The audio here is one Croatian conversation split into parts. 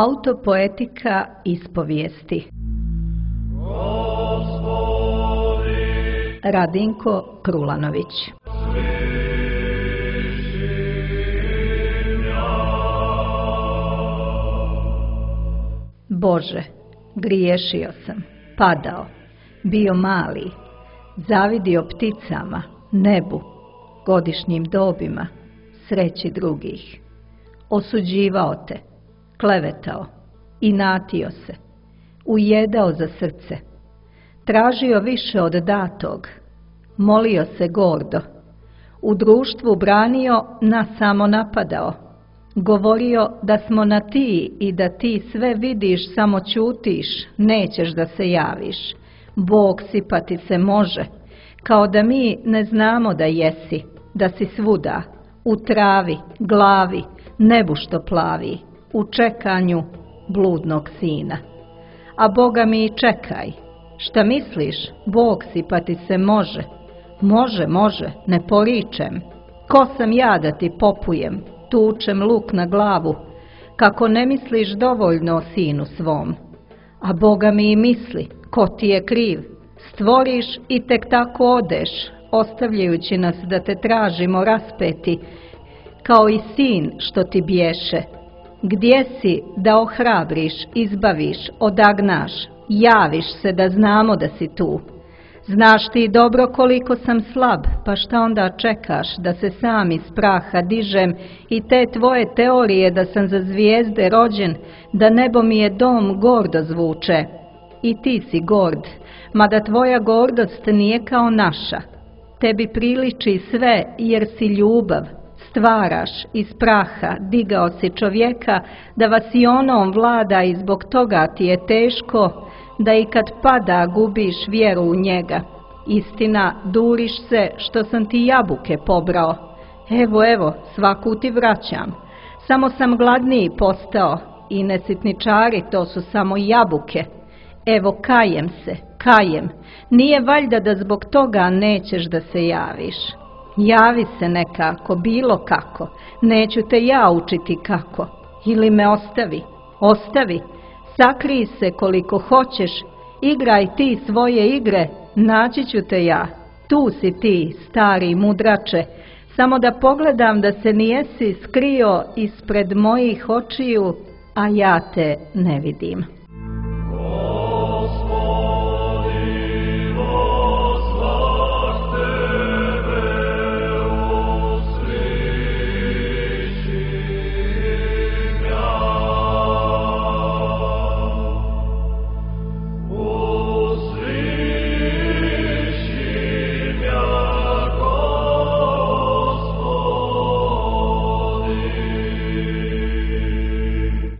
Autopoetika ispovijesti. Radinko Krulanović. Bože, griješio sam, padao, bio mali, zavidio pticama, nebu, godišnjim dobima, sreći drugih. Osuđivao te, klevetao, inatio se, ujedao za srce, tražio više od datog, molio se gordo, u društvu branio, nas samo napadao, govorio da smo na ti i da ti sve vidiš, samo ćutiš, nećeš da se javiš. Bog sipati se može, kao da mi ne znamo da jesi, da si svuda, u travi, glavi, nebu što plavi, u čekanju bludnog sina. A Boga mi čekaj, šta misliš, Bog sipati se može? Može, ne poričem. Ko sam ja da ti popujem, tučem luk na glavu, kako ne misliš dovoljno o sinu svom? A Boga mi misli, ko ti je kriv, stvoriš i tek tako odeš, ostavljajući nas da te tražimo raspeti, kao i sin što ti bješe. Gdje si da ohrabriš, izbaviš, odagnaš, javiš se da znamo da si tu. Znaš ti dobro koliko sam slab, pa šta onda čekaš da se sam iz praha dižem i te tvoje teorije da sam za zvijezde rođen, da nebo mi je dom gordo zvuče. I ti si gord, mada tvoja gordost nije kao naša. Tebi priliči sve jer si ljubav, stvaraš iz praha, digao si čovjeka da vas i onom vlada i zbog toga ti je teško, da i kad pada gubiš vjeru u njega. Istina, duriš se što sam ti jabuke pobrao. Evo, svaku ti vraćam. Samo sam gladniji postao i nesitničari, to su samo jabuke. Evo, kajem. Nije valjda da zbog toga nećeš da se javiš. Javi se nekako, bilo kako. Neću te ja učiti kako. Ili me ostavi. Sakrij se koliko hoćeš, igraj ti svoje igre, naći ću te ja. Tu si ti, stari mudrače, samo da pogledam da se nijesi skrio ispred mojih očiju, a ja te ne vidim.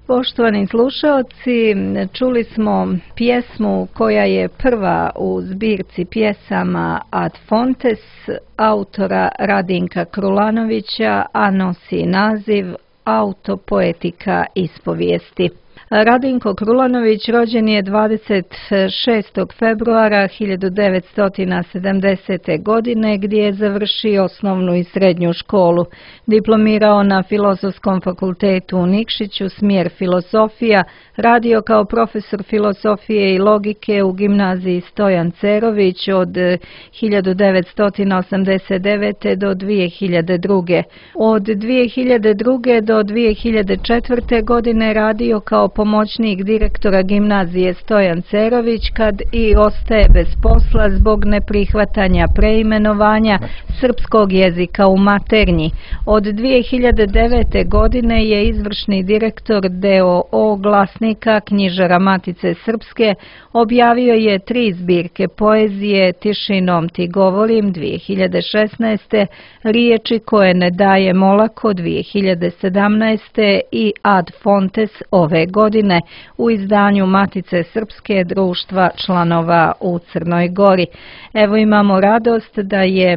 Poštovani slušaoci, čuli smo pjesmu koja je prva u zbirci pjesama Ad Fontes autora Radinka Krulanovića, a nosi naziv Autopoetika ispovijesti. Radinko Krulanović rođen je 26. februara 1970. godine gdje je završio osnovnu i srednju školu. Diplomirao na Filozofskom fakultetu u Nikšiću, smjer filozofija, radio kao profesor filozofije i logike u gimnaziji Stojan Cerović od 1989. do 2002. Od 2002. do 2004. godine radio kao pomoćnik direktora gimnazije Stojan Cerović kad i ostaje bez posla zbog neprihvatanja preimenovanja srpskog jezika u maternji. Od 2009. godine je izvršni direktor d.o.o. Glasnika knjižara Matice Srpske, objavio je 3 zbirke poezije Tišinom ti govorim 2016. Riječi koje ne daje olako 2017. i Ad Fontes ove godine u izdanju Matice Srpske društva članova u Crnoj Gori. Evo imamo radost da je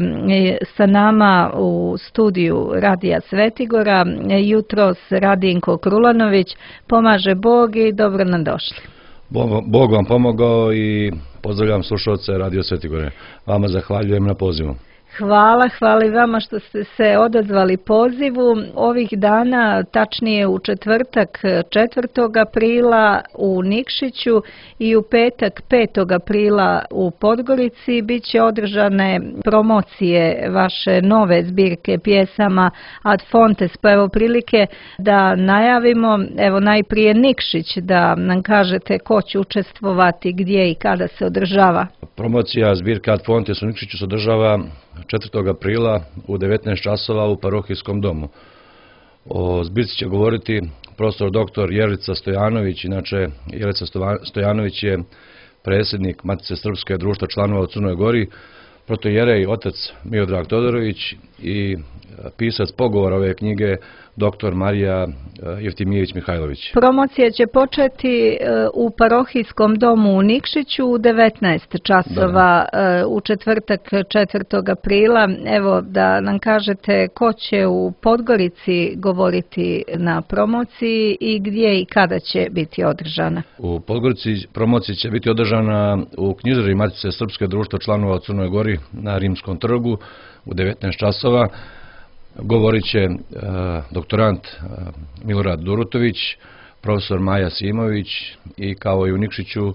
sa nama u studiju Radija Svetigora jutros Radinko Krulanović. Pomaže Bog i dobro nam došli. Bog vam pomogao i pozdravljam slušalce Radio Svetigore. Vama zahvaljujem na pozivu. Hvala i vama što ste se odazvali pozivu. Ovih dana, tačnije u četvrtak 4. aprila u Nikšiću i u petak 5. aprila u Podgorici bit će održane promocije vaše nove zbirke pjesama Ad Fontes. Pa evo prilike da najavimo, evo najprije Nikšić, da nam kažete ko će učestvovati, gdje i kada se održava. Promocija zbirke Ad Fontes u Nikšiću se održava 4. aprila u 19 časova u parohijskom domu. O zbirci će govoriti profesor dr. Jelica Stojanović. Inače, Jelica Stojanović je predsjednik Matice Srpske društva članova u Crnoj Gori, protoijerej otac Miodrag Todorović i pisac pogovora ove knjige dr. Marija Jeftimijević Mihajlović. Promocija će početi u parohijskom domu u Nikšiću u 19 časova u četvrtak 4. aprila. Evo da nam kažete ko će u Podgorici govoriti na promociji i gdje i kada će biti održana. U Podgorici promocija će biti održana u knjižari Matice Srpske društva članova u Crnoj Gori na Rimskom trgu u 19 časova. Govorit će doktorant Milorad Durutović, profesor Maja Simović i kao i u Nikšiću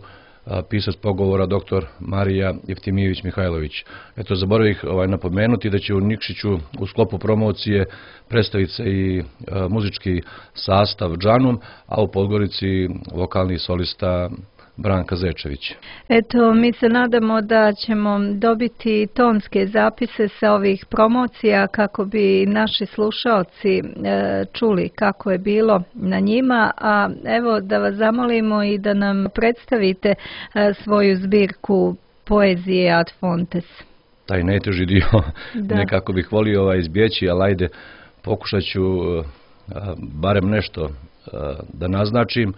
pisac pogovora dr. Marija Jeftimijević Mihajlović. Eto, zaboravih napomenuti da će u Nikšiću u sklopu promocije predstaviti se i muzički sastav Džanum, a u Podgorici vokalni solista Branka Zečević. Eto, mi se nadamo da ćemo dobiti tonske zapise sa ovih promocija kako bi naši slušaoci čuli kako je bilo na njima, a evo da vas zamolimo i da nam predstavite svoju zbirku poezije Ad Fontes. Taj najteži dio nekako bih volio izbjeći, ali ajde, pokušat ću barem nešto da naznačim.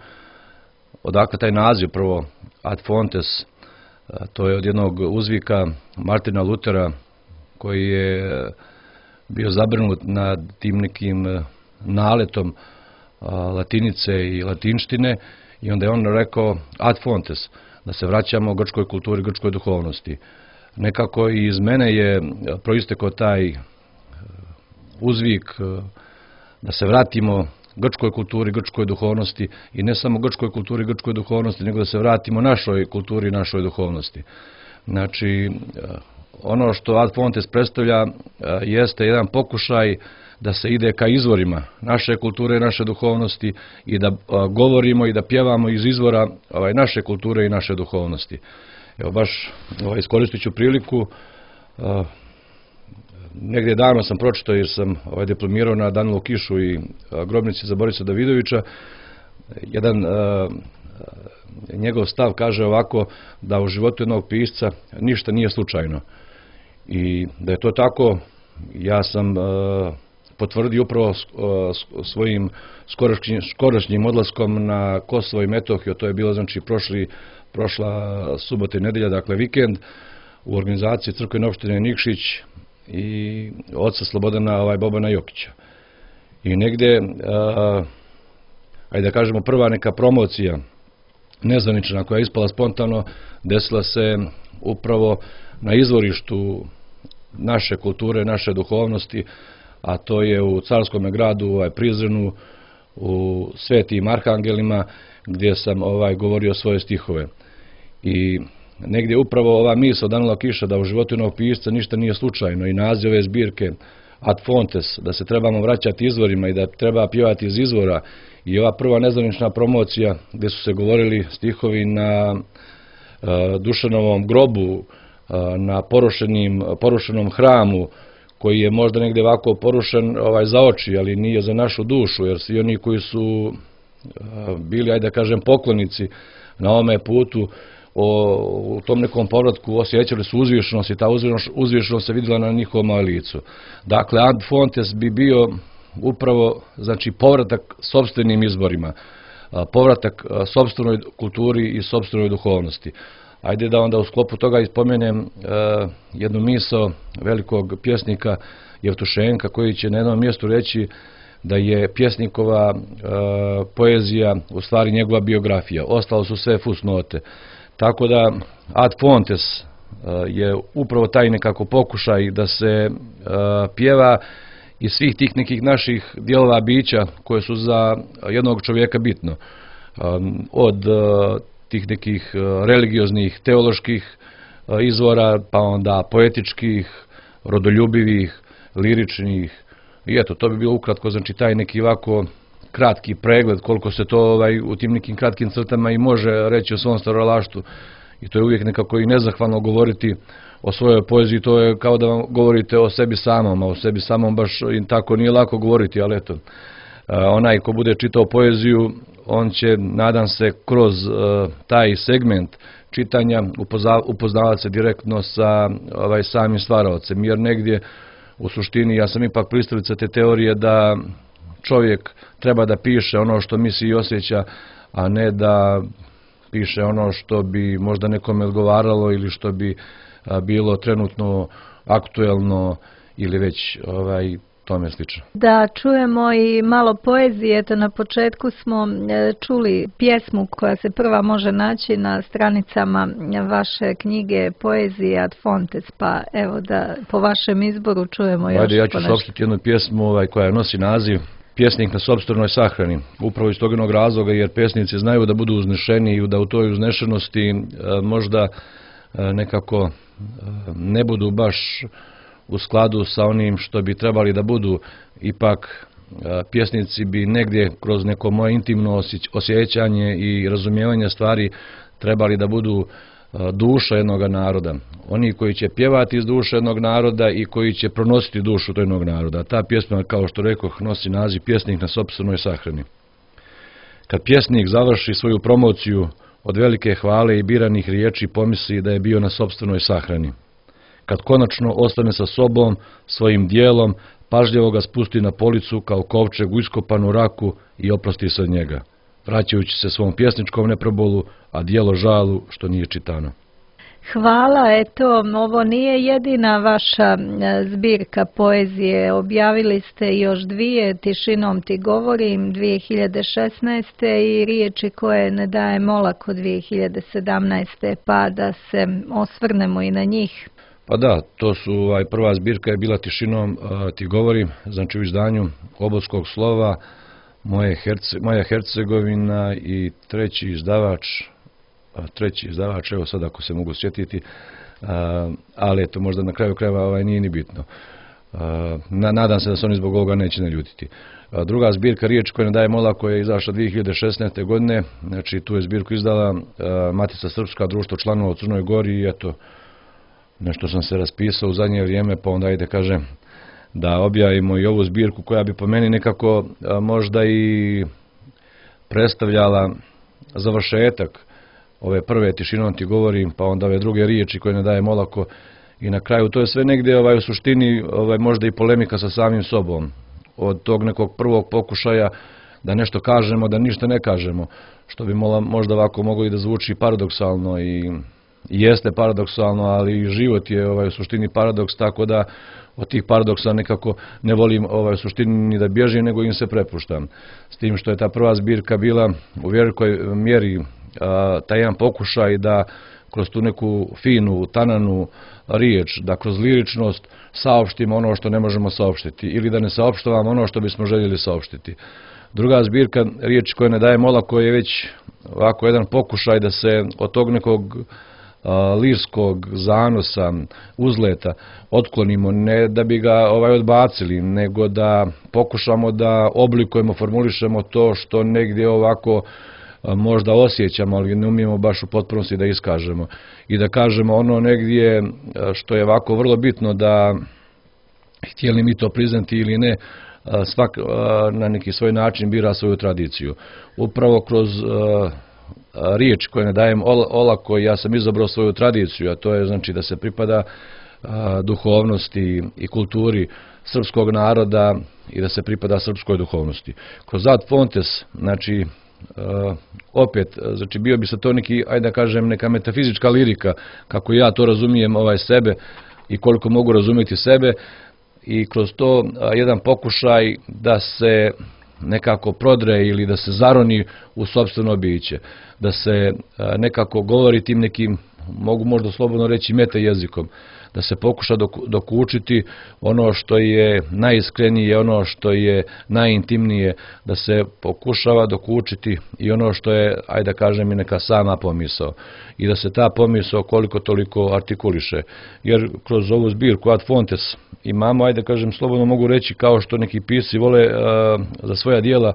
Odakle taj naziv prvo Ad Fontes, to je od jednog uzvika Martina Lutera koji je bio zabrinut nad tim nekim naletom latinice i latinštine i onda je on rekao Ad Fontes, da se vraćamo grčkoj kulturi, grčkoj duhovnosti. Nekako i iz mene je proistekao taj uzvik da se vratimo grčkoj kulturi, grčkoj duhovnosti i ne samo grčkoj kulturi, grčkoj duhovnosti, nego da se vratimo našoj kulturi, našoj duhovnosti. Znači, ono što Ad Fontes predstavlja jeste jedan pokušaj da se ide ka izvorima naše kulture, naše duhovnosti i da govorimo i da pjevamo iz izvora naše kulture i naše duhovnosti. Evo baš iskoristit ću priliku. Negdje davno sam pročitao jer sam diplomirao na Danilu Kišu i grobnici za Borisa Davidovića. Jedan njegov stav kaže ovako, da u životu jednog pisca ništa nije slučajno. I da je to tako, ja sam potvrdio upravo svojim skorašnjim odlaskom na Kosovo i Metohiju. To je bilo znači prošla subota i nedelja, dakle vikend, u organizaciji crkvene opštine Nikšić i oca Slobodana Bobana Jokića. I negdje, ajde da kažemo, prva neka promocija nezvanična koja je ispala spontano, desila se upravo na izvorištu naše kulture, naše duhovnosti, a to je u carskom gradu Prizrenu, u Svetim Arhangelima, gdje sam govorio svoje stihove. I negdje upravo ova misao Danila Kiša da u životu jednog pisca ništa nije slučajno i naziv ove zbirke Ad Fontes, da se trebamo vraćati izvorima i da treba pjevati iz izvora, i ova prva nezvanična promocija gdje su se govorili stihovi na Dušanovom grobu, na porušenom hramu koji je možda negdje ovako porušen za oči, ali nije za našu dušu, jer svi oni koji su bili, ajde da kažem, poklonici na ovome putu, u tom nekom povratku osjećali su uzvišenost i ta uzvišenost se vidjela na njihovom licu. Dakle, Ad Fontes bi bio upravo, znači, povratak sopstvenim izborima, povratak sopstvenoj kulturi i sopstvenoj duhovnosti. Ajde da onda u sklopu toga ispomenem jednu misao velikog pjesnika Jevtušenka, koji će na jednom mjestu reći da je pjesnikova poezija u stvari njegova biografija. Ostalo su sve fusnote. Tako da Ad Fontes je upravo taj nekako pokušaj da se pjeva iz svih tih nekih naših dijelova bića koje su za jednog čovjeka bitno. Od tih nekih religioznih, teoloških izvora, pa onda poetičkih, rodoljubivih, liričnih. I eto, to bi bilo ukratko, znači taj neki ovako kratki pregled koliko se to u tim nekim kratkim crtama i može reći o svom stvaralaštvu. I to je uvijek nekako i nezahvalno govoriti o svojoj poeziji, to je kao da vam govorite o sebi samom, a o sebi samom baš tako nije lako govoriti, ali eto, onaj ko bude čitao poeziju, on će, nadam se, kroz taj segment čitanja upoznavati se direktno sa samim stvaraocem, jer negdje u suštini ja sam ipak pristalica te teorije da čovjek treba da piše ono što misli i osjeća, a ne da piše ono što bi možda nekome odgovaralo ili što bi bilo trenutno aktuelno ili već tome slično. Da čujemo i malo poezije. Eto, na početku smo čuli pjesmu koja se prva može naći na stranicama vaše knjige Poezija ad Fontes, pa evo da po vašem izboru čujemo još Ja ću saopštiti jednu pjesmu koja nosi naziv Pjesnik na sopstvenoj sahrani. Upravo iz tog jednog razloga jer pjesnici znaju da budu uznešeni i da u toj uznešenosti možda nekako ne budu baš u skladu sa onim što bi trebali da budu. Ipak pjesnici bi negdje kroz neko moje intimno osjećanje i razumijevanje stvari trebali da budu duša jednog naroda. Oni koji će pjevati iz duše jednog naroda i koji će pronositi dušu jednog naroda. Ta pjesma, kao što rekoh, nosi naziv Pjesnik na sopstvenoj sahrani. Kad pjesnik završi svoju promociju od velike hvale i biranih riječi pomisli da je bio na sopstvenoj sahrani. Kad konačno ostane sa sobom, svojim dijelom, pažljivo ga spusti na policu kao kovčeg u iskopanu raku i oprosti se od njega, vraćajući se svom pjesničkom neprobolu, a dijelo žalu što nije čitano. Hvala, eto, ovo nije jedina vaša zbirka poezije. Objavili ste još dvije, Tišinom ti govorim 2016. i Riječi koje ne dajem olako 2017. pa da se osvrnemo i na njih. Pa da, to su, prva zbirka je bila Tišinom ti govorim, znači u izdanju Obodskog slova, Moja Hercegovina i treći izdavač, evo sad ako se mogu sjetiti, ali eto možda na kraju krajeva nije ni bitno. Nadam se da se oni zbog ovoga neće naljutiti. Druga zbirka Riječi koje ne dajem olako je izašla 2016. godine, znači tu je zbirku izdala Matica Srpska, društvo članova u Crnoj Gori i eto, nešto sam se raspisao u zadnje vrijeme, pa onda ajde kažem da objavimo i ovu zbirku koja bi po meni nekako možda i predstavljala završetak ove prve Tišinom ti govorim, pa onda ove druge Riječi koje ne dajem olako i na kraju to je sve negdje u suštini možda i polemika sa samim sobom. Od tog nekog prvog pokušaja da nešto kažemo, da ništa ne kažemo, što bi možda ovako moglo i da zvuči paradoksalno i jeste paradoksalno, ali i život je u suštini paradoks, tako da od tih paradoksa nekako ne volim u suštini ni da bježim, nego im se prepuštam. S tim što je ta prva zbirka bila u velikoj mjeri taj jedan pokušaj da kroz tu neku finu, tananu riječ, da kroz liričnost saopštimo ono što ne možemo saopštiti ili da ne saopštavamo ono što bismo željeli saopštiti. Druga zbirka Riječi koje ne dajem olako je već ovako jedan pokušaj da se od tog nekog lirskog zanosa, uzleta otklonimo, ne da bi ga odbacili, nego da pokušamo da oblikujemo, formulišemo to što negdje ovako možda osjećamo, ali ne umijemo baš u potpunosti da iskažemo. I da kažemo ono negdje što je ovako vrlo bitno, da htjeli mi to priznati ili ne, svak na neki svoj način bira svoju tradiciju. Upravo kroz Riječi koje ne dajem olako ja sam izabrao svoju tradiciju, a to je znači da se pripada duhovnosti i kulturi srpskog naroda i da se pripada srpskoj duhovnosti. Kroz ad fontes, znači opet, znači bio bi se to neki, ajde da kažem, neka metafizička lirika, kako ja to razumijem sebe i koliko mogu razumjeti sebe, i kroz to jedan pokušaj da se nekako prodre ili da se zaroni u sopstveno biće, da se nekako govori tim nekim mogu možda slobodno reći meta jezikom, da se pokuša dokučiti ono što je najiskrenije, ono što je najintimnije, da se pokušava dokučiti i ono što je, ajde da kažem, i neka sama pomisao. I da se ta pomisao koliko toliko artikuliše. Jer kroz ovu zbirku Ad Fontes imamo, ajde da kažem, slobodno mogu reći, kao što neki pisci vole za svoja dijela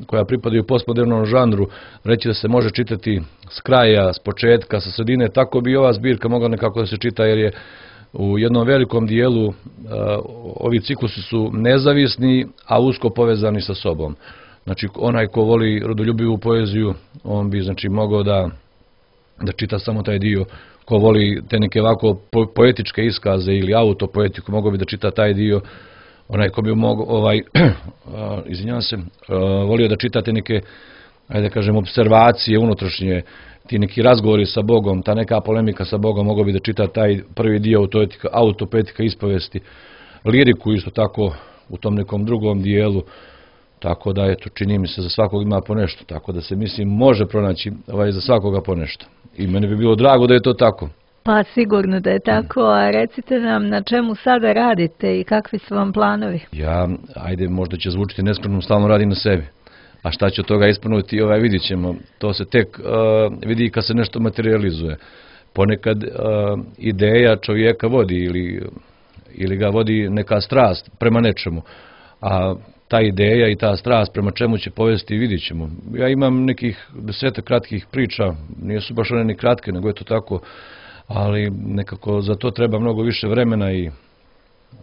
koja pripadaju postmodernom žanru, reći da se može čitati s kraja, s početka, sa sredine, tako bi ova zbirka mogla nekako da se čita, jer je u jednom velikom dijelu ovi ciklusi su nezavisni, a usko povezani sa sobom. Znači, onaj ko voli rodoljubivu poeziju, on bi, znači, mogao da čita samo taj dio. Ko voli te neke ovako poetičke iskaze ili autopoetiku, mogao bi da čita taj dio. Onaj ko bi volio da čitate neke, ajde da kažem, observacije unutrašnje, ti neki razgovori sa Bogom, ta neka polemika sa Bogom, mogao bi da čita taj prvi dio autopoetika ispovesti, liriku isto tako u tom nekom drugom dijelu, tako da, eto, čini mi se za svakog ima po nešto, tako da se, mislim, može pronaći za svakoga po nešto. I meni bi bilo drago da je to tako. Pa sigurno da je tako, a recite nam na čemu sada radite i kakvi su vam planovi? Ja, ajde, možda će zvučiti neskromno, stalno radim na sebi. A šta će od toga ispunuti, vidit ćemo. To se tek vidi kad se nešto materializuje. Ponekad ideja čovjeka vodi ili ga vodi neka strast prema nečemu. A ta ideja i ta strast prema čemu će povesti, vidit ćemo. Ja imam nekih 10 kratkih priča, nisu baš one ni kratke, nego je to tako, ali nekako za to treba mnogo više vremena i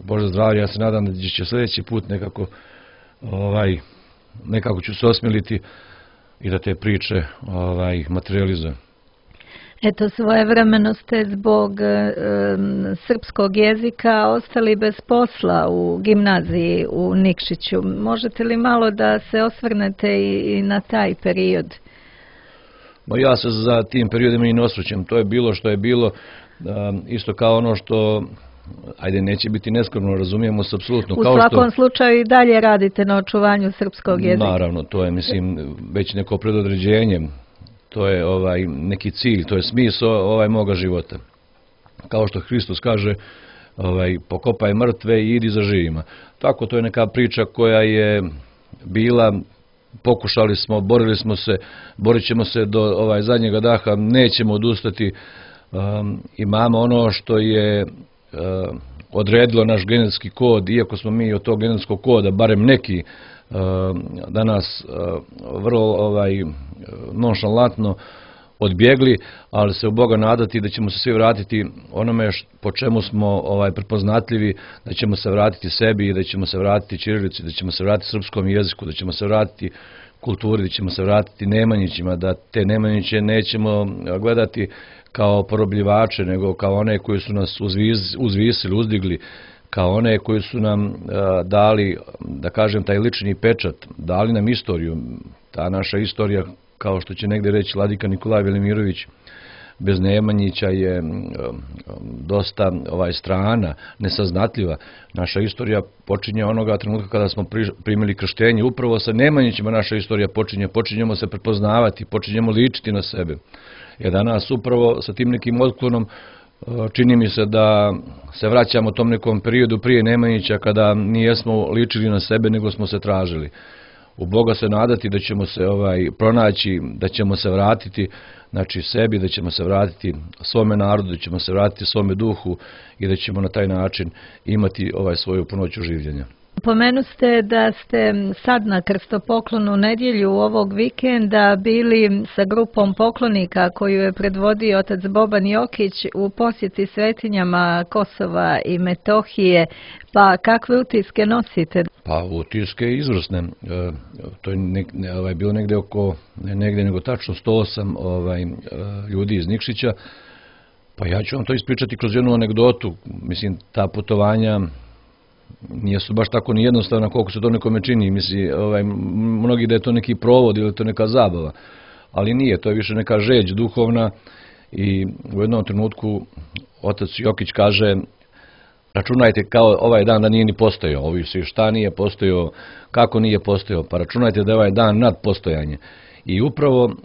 Bože zdravlje, ja se nadam da će sljedeći put nekako ću se osmiliti i da te priče materializujem. Eto, svojevremeno ste zbog srpskog jezika ostali bez posla u gimnaziji u Nikšiću. Možete li malo da se osvrnete i na taj period? Ja se za tim periodima i ne osvrćem. To je bilo što je bilo, isto kao ono što, ajde, neće biti neskromno, razumijemo se apsolutno. U svakom slučaju i dalje radite na očuvanju srpskog jezika. Naravno, to je, mislim, već neko predodređenje. To je neki cilj, to je smisao moga života. Kao što Hristos kaže, pokopaj mrtve i idi za živima. Tako, to je neka priča koja je bila, pokušali smo, borili smo se, borit ćemo se do zadnjega daha, nećemo odustati. Imamo ono što je odredilo naš genetski kod, iako smo mi od tog genetskog koda, barem neki, danas vrlo nonšalantno odbjegli, ali se u Boga nadati da ćemo se svi vratiti onome po čemu smo prepoznatljivi, da ćemo se vratiti sebi, da ćemo se vratiti ćirilici, da ćemo se vratiti srpskom jeziku, da ćemo se vratiti kulturi, da ćemo se vratiti Nemanjićima, da te Nemanjiće nećemo gledati kao porobljivače, nego kao one koji su nas uzvisili, uzdigli, kao one koji su nam dali, da kažem, taj lični pečat, dali nam istoriju. Ta naša istorija, kao što će negdje reći vladika Nikolaj Velimirović, bez Nemanjića je dosta strana, nesaznatljiva. Naša istorija počinje onoga trenutka kada smo primili krštenje. Upravo sa Nemanjićima naša istorija počinjemo se prepoznavati, počinjemo ličiti na sebe. Jer danas upravo sa tim nekim otklonom čini mi se da se vraćamo tom nekom periodu prije Nemanjića kada nijesmo ličili na sebe nego smo se tražili. U Boga se nadati da ćemo se pronaći, da ćemo se vratiti, znači sebi, da ćemo se vratiti svome narodu, da ćemo se vratiti svome duhu i da ćemo na taj način imati svoju punoću življenja. Pomenuste da ste sad na krstopoklonu nedjelju ovog vikenda bili sa grupom poklonika koju je predvodio otac Boban Jokić u posjeti svetinjama Kosova i Metohije. Pa kakve utiske nosite? Pa utiske izvrsne. To je bilo negdje oko, ne negdje nego tačno 108 ljudi iz Nikšića. Pa ja ću vam to ispričati kroz jednu anegdotu. Mislim, ta putovanja nisu baš tako ni jednostavna koliko se to nekome čini. Misli, mnogi da je to neki provod ili to neka zabava, ali nije, to je više neka žeđ duhovna i u jednom trenutku otac Jokić kaže: računajte kao ovaj dan da nije ni postojao, ovi svi šta nije postojao, kako nije postojao, pa računajte da je ovaj dan nad postojanje. I upravo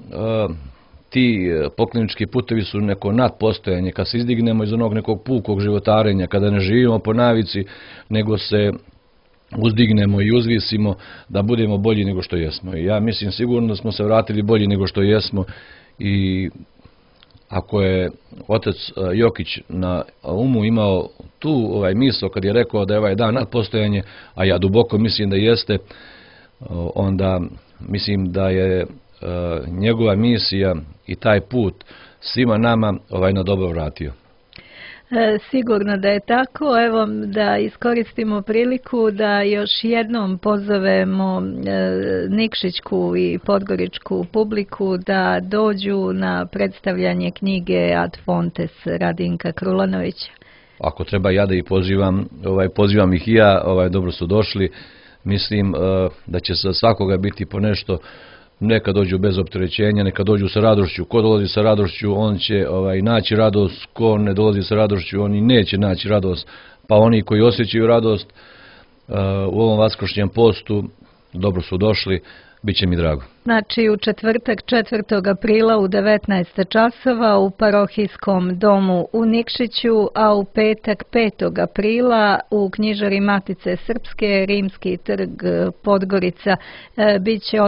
ti poklonički putevi su neko nadpostojanje, kad se izdignemo iz onog nekog pukog životarenja, kada ne živimo po navici, nego se uzdignemo i uzvisimo da budemo bolji nego što jesmo. I ja mislim sigurno da smo se vratili bolji nego što jesmo i ako je otac Jokić na umu imao tu misao kad je rekao da je ovaj dan nadpostojanje, a ja duboko mislim da jeste, onda mislim da je njegova misija i taj put svima nama na dobro vratio. Sigurno da je tako. Evo da iskoristimo priliku da još jednom pozovemo nikšićku i podgoričku publiku da dođu na predstavljanje knjige Ad Fontes Radinka Krulanovića. Ako treba ja da ih pozivam ih i ja, dobro su došli. Mislim da će za svakoga biti po nešto. Neka dođu bez opterećenja, neka dođu sa radošću. Ko dolazi sa radošću, on će naći radost. Ko ne dolazi sa radošću, oni neće naći radost. Pa oni koji osjećaju radost u ovom vaskršnjem postu, dobro su došli, bit će mi drago. Znači u četvrtak 4. aprila u 19 časova u parohijskom domu u Nikšiću, a u petak 5. aprila u knjižari Matice Srpske, Rimski trg Podgorica, bit će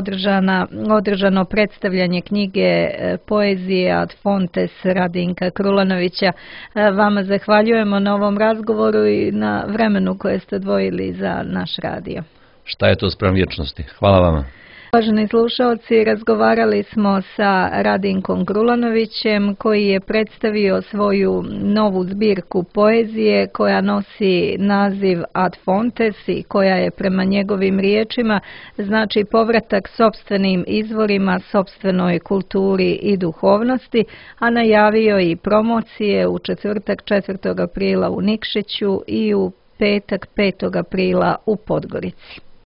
održano predstavljanje knjige poezije Ad Fontes Radinka Krulanovića. Vama zahvaljujemo na ovom razgovoru i na vremenu koje ste odvojili za naš radio. Šta je to spram vječnosti? Hvala vama. Uvaženi slušalci, razgovarali smo sa Radinkom Krulanovićem koji je predstavio svoju novu zbirku poezije koja nosi naziv Ad Fontes i koja je prema njegovim riječima znači povratak sopstvenim izvorima, sopstvenoj kulturi i duhovnosti, a najavio i promocije u četvrtak 4. aprila u Nikšiću i u petak 5. aprila u Podgorici.